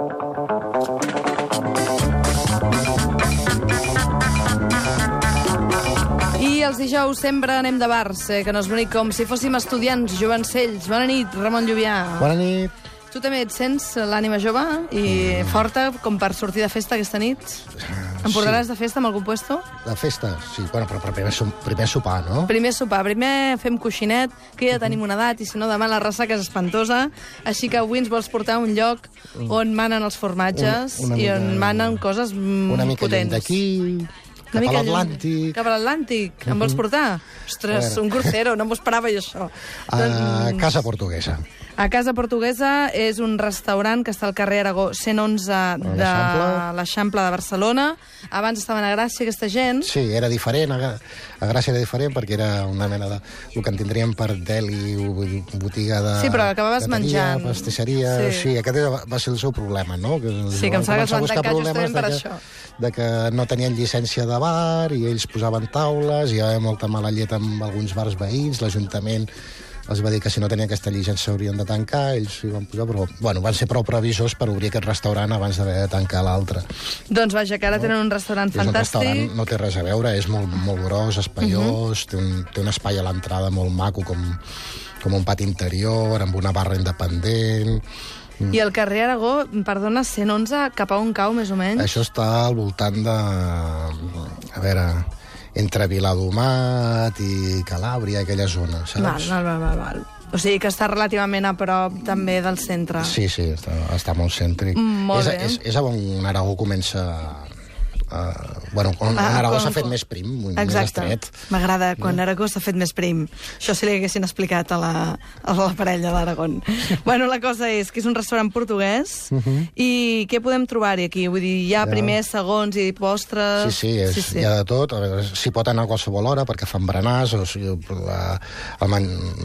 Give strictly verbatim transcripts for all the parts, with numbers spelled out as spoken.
I els dijous sempre anem de bars, eh, que no és bonic, com si fóssim estudiants jovencells. Bona nit, Ramon Lluvià. Bona nit. Tu també et sents l'ànima jove i mm. forta com per sortir de festa aquesta nit? Em portaràs sí. de festa amb algun puesto? De festa, sí. Bueno, però primer, primer sopar, no? Primer sopar. Primer fem coixinet, que ja tenim una edat, i si no demà la ressaca és espantosa. Així que avui ens vols portar a un lloc on manen els formatges una, una i on mica, manen coses potents. Una mica lluny d'aquí... Cap a l'Atlàntic. Cap a l'Atlàntic. Em vols portar? Ostres, un crucero, no m'ho esperava jo, això. A doncs... Casa Portuguesa. A Casa Portuguesa és un restaurant que està al carrer Aragó cent onze de l'Eixample de Barcelona. Abans estaven a Gràcia, aquesta gent. Sí, era diferent. A Gràcia era diferent perquè era una mena de... el que en tindríem per deli, botiga de... Sí, però acabaves menjant. Pastisseria... Sí. sí, aquest va ser el seu problema, no? Que sí, que em sembla que es van tancar justament per això. De que no tenien llicència de bar i ells posaven taules, hi havia molta mala llet amb alguns bars veïns, l'Ajuntament els va dir que si no tenien aquesta llicència s'haurien de tancar, ells s'hi van posar, però bueno, van ser prou previsors per obrir aquest restaurant abans d'haver de tancar l'altre. Doncs vaja, que ara no? tenen un restaurant és fantàstic. Un restaurant, no té res a veure, és molt, molt gros, espaiós, uh-huh. té, un, té un espai a l'entrada molt maco, com, com un pati interior, amb una barra independent... I el carrer Aragó, perdona, cent onze, cap a on cau, més o menys? Això està al voltant de... A veure... entre Viladomat i Calàbria, aquella zona, saps? Val, val, val, val. O sigui que està relativament a prop també del centre. Sí, sí, està, està molt cèntric. Mm, molt és, bé. És, és on Aragó comença... Uh, bueno, quan ah, Aragó s'ha fet més prim, més estret. M'agrada quan Aragó s'ha fet més prim. Això si li haguessin explicat a la, a la parella d'Aragón. Bueno, la cosa és que és un restaurant portuguès uh -huh. i què podem trobar-hi aquí? Vull dir, hi ha ja. primers, segons i postres... Sí, sí, és, sí, sí. hi ha de tot. S'hi pot anar a qualsevol hora perquè fan berenars, o sigui, la, la,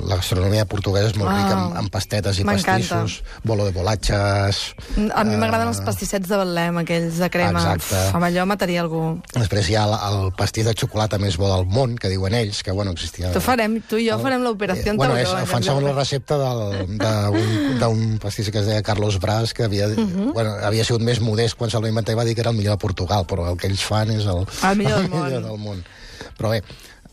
la gastronomia portuguesa és molt oh, rica amb, amb pastetes i pastissos, bolo de bolatxes... A mi m'agraden uh, els pastissets de Betlem, aquells de crema. Exacte. Uf, amb allò mataria algú. Després hi ha el, el pastís de xocolata més bo del món, que diuen ells, que bueno, existia... Tu farem, tu i jo farem l'operació eh, bueno, és, fan segons la recepta d'un pastís que es deia Carlos Brás, que havia, uh -huh. bueno, havia sigut més modest quan se'l va inventar i va dir que era el millor de Portugal, però el que ells fan és el, el millor, del, el món. millor del món. Però bé,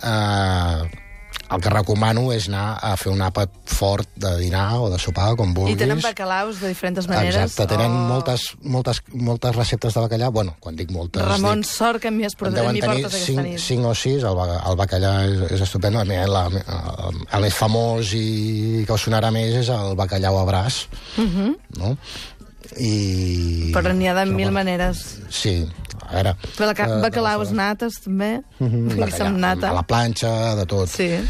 eh... el que recomano és anar a fer un àpat fort de dinar o de sopar, com vulguis. I tenen bacalaus de diferents maneres. Exacte, tenen oh. moltes, moltes, moltes receptes de bacallà. Bueno, quan dic moltes... Ramon, dic, sort que m'hi has portat, m'hi portes aquesta nit. cinc o sis, el, el bacallà és, és estupendo. El, el, el més famós i que us sonarà més és el bacallau a braç, uh -huh. no? I... Però n'hi ha de mil maneres. Sí, a veure... Bacalaus nates, també. Bacallà, nata. A la planxa, de tot. Sí.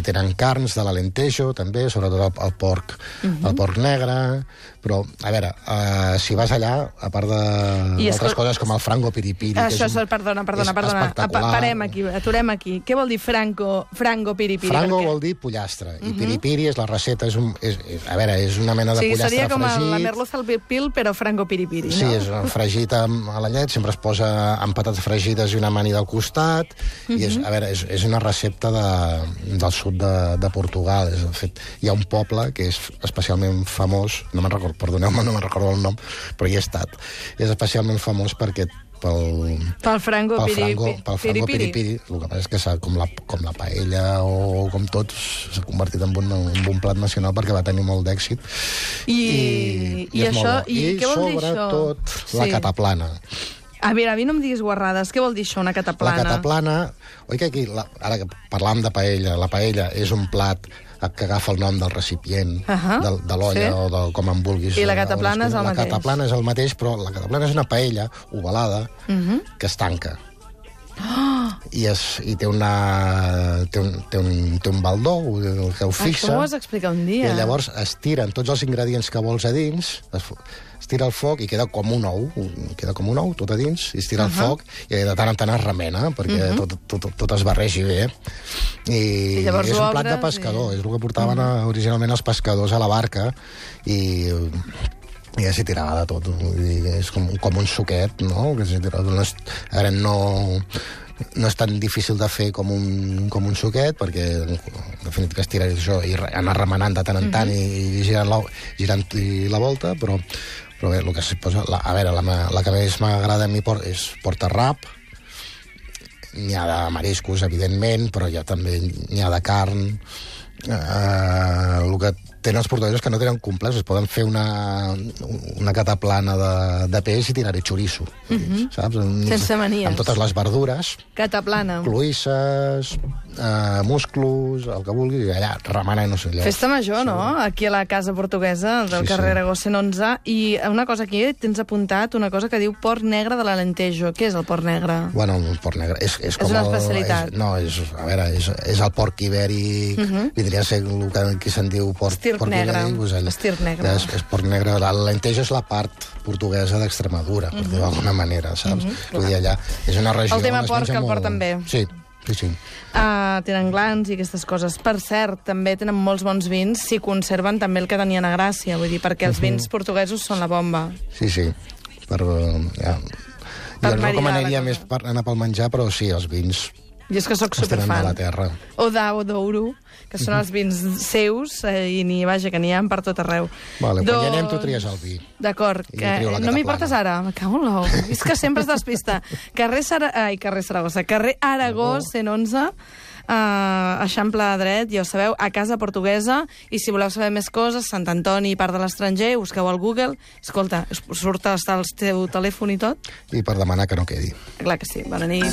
Tenen carns de l'Alentejo, també, sobretot el, el porc, uh -huh. el porc negre... Però, a veure, uh, si vas allà, a part d'altres coses com el frango piripiri... Això és, un, perdona, perdona, perdona. Parem aquí, aturem aquí. Què vol dir franco, frango piripiri? Frango vol dir pollastre, i uh -huh. piripiri és la recepta, és, un, és, és, a veure, és una mena de sí, pollastre seria com fregit. la merluza al pil, però frango piripiri, sí, no? Sí, és fregit amb, a la llet, sempre es posa amb patates fregides i una amanida al costat, uh -huh. i és, a veure, és, és una recepta de, del sud de, de Portugal. És, de fet, hi ha un poble que és especialment famós, no me'n recordo, perdoneu-me, no me'n recordo el nom, però hi he estat. És especialment famós perquè pel... Pel frango, pel piri, frango, pel frango piripiri. piripiri. El que passa és que s'ha, com, la, com la paella o com tot, s'ha convertit en un, en un plat nacional perquè va tenir molt d'èxit. I, i, i, i això, i, I què vol dir això? sobretot la sí. cataplana. A veure, a mi no em diguis guarrades. Què vol dir això, una cataplana? La cataplana... Oi que aquí, la, ara que parlam de paella, la paella és un plat que agafa el nom del recipient, uh -huh. de, de l'olla sí. o de com en vulguis. I la cataplana és el la mateix. La cataplana és el mateix, però la cataplana és una paella ovalada uh -huh. que es tanca. Oh. I, es, i té, una, té, un, té, un, té un baldó que ho fixa. Això m'ho has d'explicar un dia. I llavors es tiren tots els ingredients que vols a dins, es, es tira al foc i queda com un ou, queda com un ou tot a dins, i es tira uh -huh. al foc i de tant en tant es remena perquè uh -huh. tot, tot, tot es barregi bé. I, I llavors és un plat de pescador, i... és el que portaven uh -huh. originalment els pescadors a la barca, i... i ja s'hi tirava de tot. És com, com un suquet, no? Que s'hi tirava, no és, ara no... no és tan difícil de fer com un, com un suquet, perquè en definitiva es tira això i anar remenant de tant en tant uh -huh. i, i girant, la, girant la volta, però Però bé, el que s'hi posa... La, a veure, la, la que més m'agrada a mi por, és Porta-rap. N'hi ha de mariscos, evidentment, però ja també n'hi ha de carn. Uh, el que tenen els portuguesos que no tenen complex, es poden fer una, una cataplana de, de peix i tirar-hi xoriço, uh-huh. saps? Sense manies. Amb totes les verdures. Cataplana. Cloïsses, eh, musclos, el que vulgui, i allà remenant, no sé, allà. Festa major, no? Aquí a la casa portuguesa del Sí, carrer sí. Aragó cent onze. I una cosa aquí, tens apuntat una cosa que diu porc negre de l'Alentejo. Què és el porc negre? Bueno, el porc negre és, és com una el... especialitat. És, no, és, a veure, és, és el porc ibèric, uh-huh. vindria a ser el que aquí se'n diu porc, Estirp porc negre. ibèric. Pues allà, Estirp negre. És, és porc negre. L'Alentejo és la part portuguesa d'Extremadura, per uh-huh. dir-ho d'alguna manera, saps? Uh-huh. Vull dir, allà és una regió... El tema on es porc menja el molt... porten bé. Sí, sí, sí. Uh, tenen glans i aquestes coses. Per cert, també tenen molts bons vins si conserven també el que tenien a Gràcia, vull dir, perquè els vins portuguesos són la bomba. Sí, sí. Per, uh, ja. Per Jo no maridar recomanaria la més cosa. per anar pel menjar, però sí, els vins Jo és que sóc els tenen de superfan. la terra. O d'Au d'Ouro, que són els vins seus, eh, i ni, vaja, que n'hi ha per tot arreu. Vale, quan hi anem tu tries el vi. D'acord, I que jo trio la no m'hi cataplana. portes ara, me cago en l'ou. És que sempre es despista. Carrer, Sara... Ai, carrer Saragossa, carrer Aragó, cent onze, uh, Eixample dret, ja ho sabeu, a Casa Portuguesa, i si voleu saber més coses, Sant Antoni, part de l'estranger, busqueu al Google, escolta, surt hasta el teu telèfon i tot? I per demanar que no quedi. Clar que sí, bona nit.